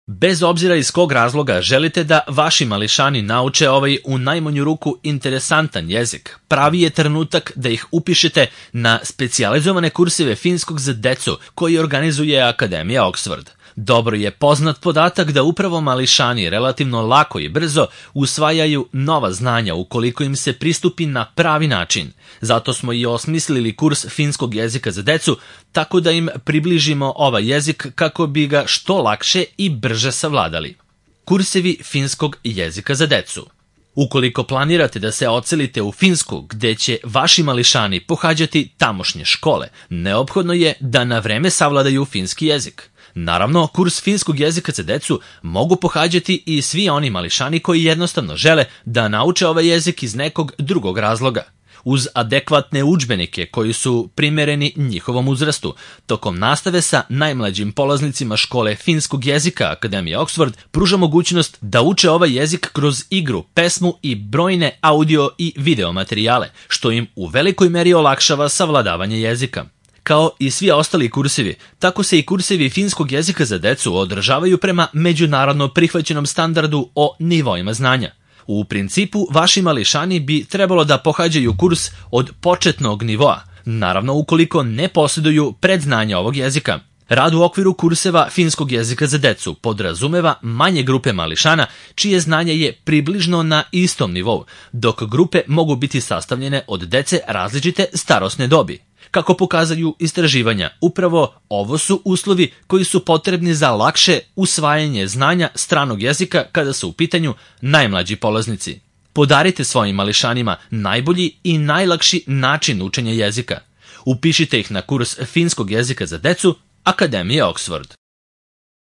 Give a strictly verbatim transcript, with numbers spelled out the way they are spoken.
Bez obzira iz kog razloga želite da vaši mališani nauče ovaj u najmanju ruku interesantan jezik, pravi je trenutak da ih upišete na specijalizovane kurseve finskog za decu koji organizuje Akademija Oxford. Dobro je poznat podatak da upravo mališani relativno lako i brzo usvajaju nova znanja ukoliko im se pristupi na pravi način. Zato smo i osmislili kurs finskog jezika za decu, tako da im približimo ovaj jezik kako bi ga što lakše i brže savladali. Kursevi finskog jezika za decu. Ukoliko planirate da se odselite u Finsku, gde će vaši mališani pohađati tamošnje škole, neophodno je da na vreme savladaju finski jezik. Naravno, kurs finskog jezika za decu mogu pohađati i svi oni mališani koji jednostavno žele da nauče ovaj jezik iz nekog drugog razloga. Uz adekvatne udžbenike koji su primereni njihovom uzrastu, tokom nastave sa najmlađim polaznicima škole finskog jezika Akademije Oxford pruža mogućnost da uče ovaj jezik kroz igru, pesmu i brojne audio i video materijale, što im u velikoj meri olakšava savladavanje jezika. Kao i svi ostali kursevi, tako se i kursevi finskog jezika za decu održavaju prema međunarodno prihvaćenom standardu o nivoima znanja. U principu, vaši mališani bi trebalo da pohađaju kurs od početnog nivoa, naravno ukoliko ne posjeduju predznanja ovog jezika. Rad u okviru kurseva finskog jezika za decu podrazumeva manje grupe mališana čije znanje je približno na istom nivou, dok grupe mogu biti sastavljene od dece različite starosne dobi. Kako pokazaju istraživanja, upravo ovo su uslovi koji su potrebni za lakše usvajanje znanja stranog jezika kada su u pitanju najmlađi polaznici. Podarite svojim mališanima najbolji i najlakši način učenja jezika. Upišite ih na kurs finskog jezika za decu Akademije Oxford.